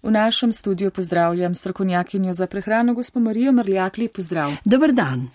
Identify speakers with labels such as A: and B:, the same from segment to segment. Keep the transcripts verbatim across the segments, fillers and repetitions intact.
A: V našem studiu pozdravljam strokovnjakinjo za prehrano, gospo Marijo Mrljakli, pozdrav.
B: Dober dan.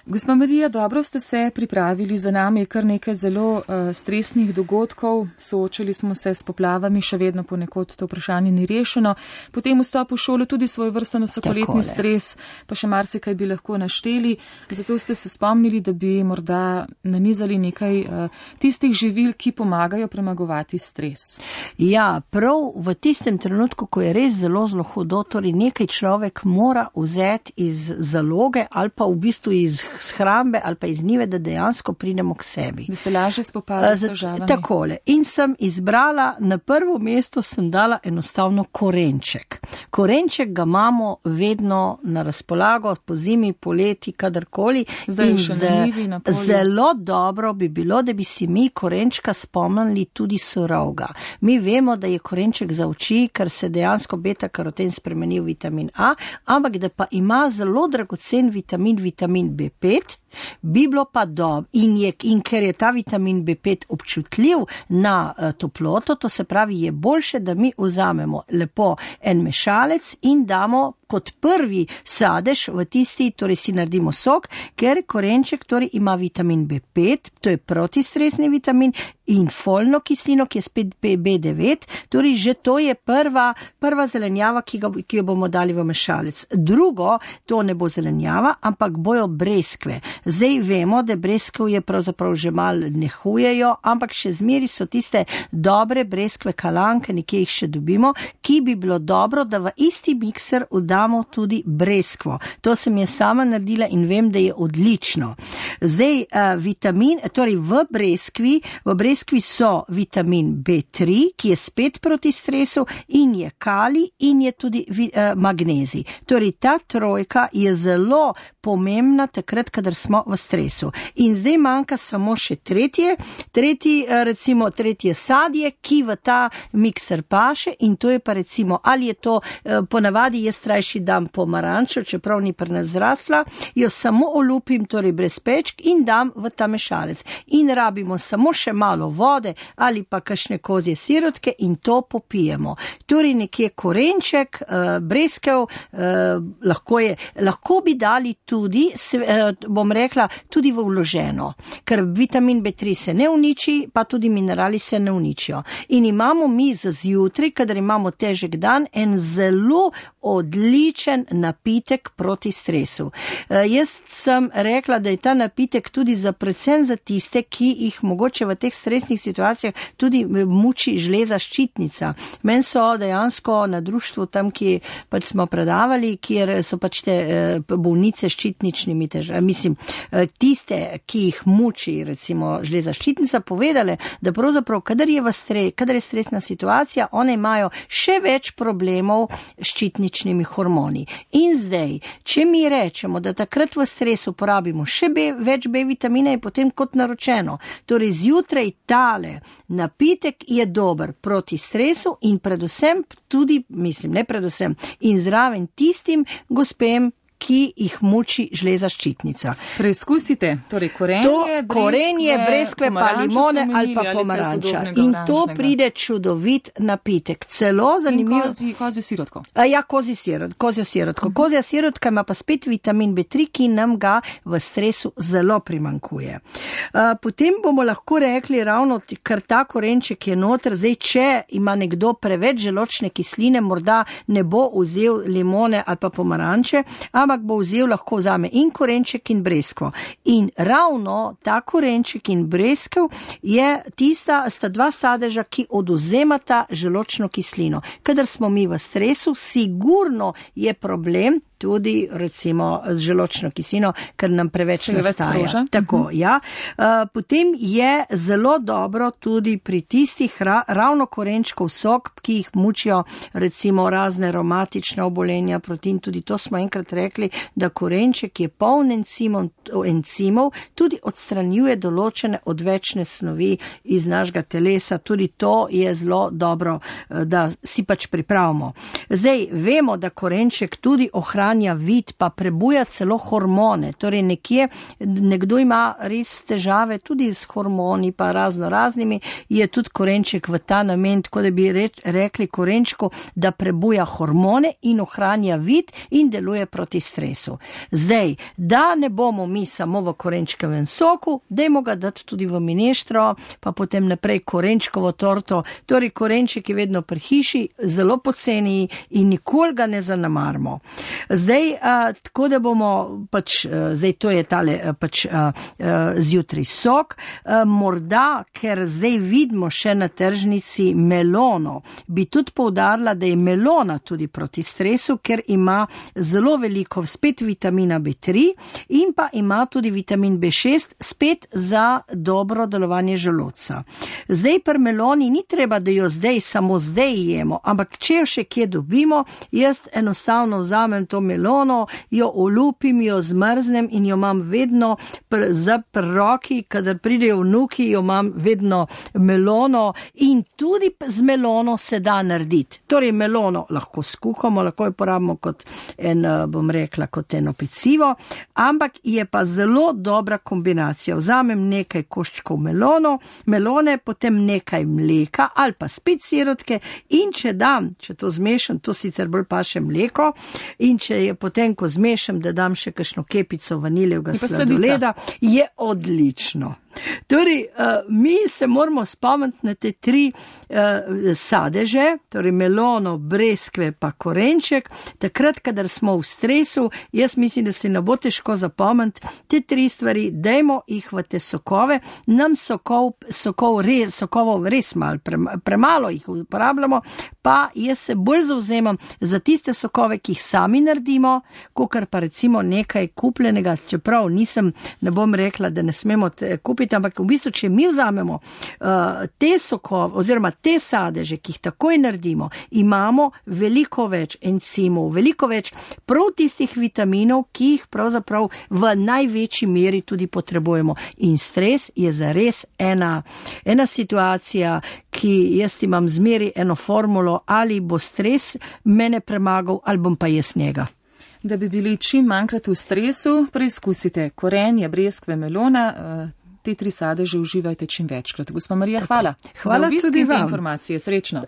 A: Gospa Marija, dobro ste se pripravili, za nami je kar nekaj zelo uh, stresnih dogodkov, soočili smo se s poplavami, še vedno ponekod to vprašanje ni rešeno, potem vstop v šolo tudi svoj vrsten vsakoletni stres, pa še marsikaj bi lahko našteli, zato ste se spomnili, da bi morda nanizali nekaj uh, tistih živil, ki pomagajo premagovati stres.
B: Ja, prav v tistem trenutku, ko je res zelo, zelo hudo, torej nekaj človek mora vzeti iz zaloge ali pa v bistvu iz shrambe ali pa iz njive, da dejansko pridemo k sebi.
A: Da se laže spopadajo s težavami.
B: Takole. In sem izbrala, na prvo mesto sem dala enostavno korenček. Korenček ga imamo vedno na razpolago, po zimi, poleti, kadarkoli.
A: Zdaj še na njivi, na polju.
B: Zelo dobro bi bilo, da bi si mi korenčka spomnili tudi surovga. Mi vemo, da je korenček za oči, ker se dejansko beta-karoten spremeni v vitamin A, ampak da pa ima zelo dragocen vitamin, vitamin B pet, bi bilo pa dobro. In, je, in ker je ta vitamin B pet občutljiv na uh, toploto, to se pravi, je boljše, da mi vzamemo lepo en mešalec in damo kot prvi sadež v tisti, torej si naredimo sok, ker korenček torej ima vitamin B pet, to je protistresni vitamin, in folno kislino, ki je spet B devet, torej že to je prva, prva zelenjava, ki, ga, ki jo bomo dali v mešalec. Drugo, to ne bo zelenjava, ampak bojo breskve. Zdaj vemo, da breskv je pravzaprav že mal nehujejo, ampak še zmeri so tiste dobre breskve kalanke, nekje jih še dobimo, ki bi bilo dobro, da v isti mikser damo tudi breskvo. To sem je sama naredila in vem, da je odlično. Zdaj, uh, vitamin, torej v breskvi, v breskvi so vitamin B tri, ki je spet proti stresu, in je kalij in je tudi uh, magnezij. Torej, ta trojka je zelo pomembna takrat, kadar smo v stresu. In zdaj manjka samo še tretje, tretji, uh, recimo tretje sadje, ki v ta mikser paše, in to je pa recimo, ali je to uh, ponavadi jaz trajši dam pomarančo, čeprav ni pri nas zrasla, jo samo olupim, torej brez pečk, in dam v ta mešalec. In rabimo samo še malo vode ali pa kakšne kozje sirotke in to popijemo. Torej nekje korenček, uh, breskev, uh, lahko je, lahko bi dali tudi, uh, bom rekla, tudi v vloženo, ker vitamin B tri se ne uniči, pa tudi minerali se ne uničijo. In imamo mi za zjutraj, kadar imamo težek dan, en zelo odličen napitek proti stresu. Uh, jaz sem rekla, da je ta napitek tudi za predvsem za tiste, ki jih mogoče v teh stresnih situacijah tudi muči žleza ščitnica. Men so dejansko na društvu tam, ki pač smo predavali, kjer so pač te uh, bolnice ščitničnimi težavami, mislim, uh, tiste, ki jih muči recimo žleza ščitnica, povedale, da pravzaprav, kadar je v stres, kadar je stresna situacija, one imajo še več problemov s ščitničnimi hormoni. In zdaj, če mi rečemo, da takrat v stresu porabimo še B, več B vitamina, je potem kot naročeno. Torej, zjutraj tale napitek je dober proti stresu in predvsem tudi, mislim, ne predvsem, in zraven tistim gospem, ki jih muči žleza ščitnica.
A: Preizkusite, torej korenje,
B: to,
A: breskve,
B: korenje, breskve pa limone ali pa pomaranča. In to pride čudovit napitek. Celo zanimivo.
A: In kozi, kozjo sirotko.
B: Ja, kozi sirot, kozjo sirotko. Uh-huh. Kozja sirotka ima pa spet vitamin B tri, ki nam ga v stresu zelo primankuje. Uh, potem bomo lahko rekli ravno, ker ta korenček je noter, zdaj, če ima nekdo preveč želočne kisline, morda ne bo vzel limone ali pa pomaranče, ampak bo vzel, lahko vzame in korenček in breskvo. In ravno ta korenček in breskv je tista, sta dva sadeža, ki odvzemata želočno kislino. Kadar smo mi v stresu, sigurno je problem tudi recimo z želočno kislino, ker nam preveč nastaja. Tako, uh-huh. ja. Uh, potem je zelo dobro tudi pri tistih ra, ravno korenčkov sok, ki jih mučijo recimo razne aromatične obolenja, protein, tudi to smo enkrat rekli, da korenček je poln encimov, encimov, tudi odstranjuje določene odvečne snovi iz našega telesa, tudi to je zelo dobro, da si pač pripravimo. Zdaj, vemo, da korenček tudi ohranja ohranja vid, pa prebuja celo hormone. Torej nekje, nekdo ima res težave tudi s hormoni, pa razno raznimi, je tudi korenček v ta namen, tako da bi reč, rekli korenčku, da prebuja hormone in ohranja vid in deluje proti stresu. Zdaj, da ne bomo mi samo v korenčkovem soku, dajmo ga dati tudi v mineštro, pa potem naprej korenčkovo torto. Torej, korenček je vedno pri hiši, zelo poceni in nikoli ga ne zanemarimo. Zdaj, a, tako da bomo, pač, a, zdaj to je tale a, pač a, a, zjutraj sok, a, morda, ker zdaj vidimo še na tržnici melono, bi tudi poudarila, da je melona tudi proti stresu, ker ima zelo veliko spet vitamina B tri in pa ima tudi vitamin B šest spet za dobro delovanje želodca. Zdaj pri meloni ni treba, da jo zdaj samo zdaj jemo, ampak če jo še kje dobimo, jaz enostavno vzamem to melono, jo olupim, jo zmrznem in jo imam vedno pr, za pri roki, kadar pridejo vnuki, jo imam vedno melono in tudi z melono se da narediti. Torej melono lahko skuhamo, lahko jo porabimo kot en, bom rekla, kot eno pecivo, ampak je pa zelo dobra kombinacija. Vzamem nekaj koščkov melono, melone, potem nekaj mleka ali pa spet sirotke in če dam, če to zmešam, to sicer bolj paše mleko in če je potem, ko zmešam, da dam še kakšno kepico vaniljevega sladoleda, je odlično. Torej, mi se moramo spomniti na te tri sadeže, torej melono, breskve pa korenček. Takrat, kadar smo v stresu, jaz mislim, da se ne bo težko zapomniti te tri stvari, dajmo jih v te sokove, nam sokov, sokov res, sokovov res malo, premalo jih uporabljamo, pa jaz se bolj zauzemam za tiste sokove, ki jih sami naredimo, kakor pa recimo nekaj kupljenega, čeprav nisem, ne bom rekla, da ne smemo kupiti, ampak v bistvu, če mi vzamemo uh, te sokove oziroma te sadeže, ki jih takoj naredimo, imamo veliko več encimov, veliko več prav tistih vitaminov, ki jih pravzaprav v največji meri tudi potrebujemo. In stres je zares ena, ena situacija, ki jaz imam zmeri eno formulo, ali bo stres mene premagal, ali bom pa jaz njega.
A: Da bi bili čim manjkrat v stresu, preizkusite korenje, breskve, melona, uh, te tri sadeže uživajte čim večkrat. Gospa Marija, hvala.
B: Hvala
A: za obisk
B: tudi
A: in te
B: vam.
A: informacije. Srečno.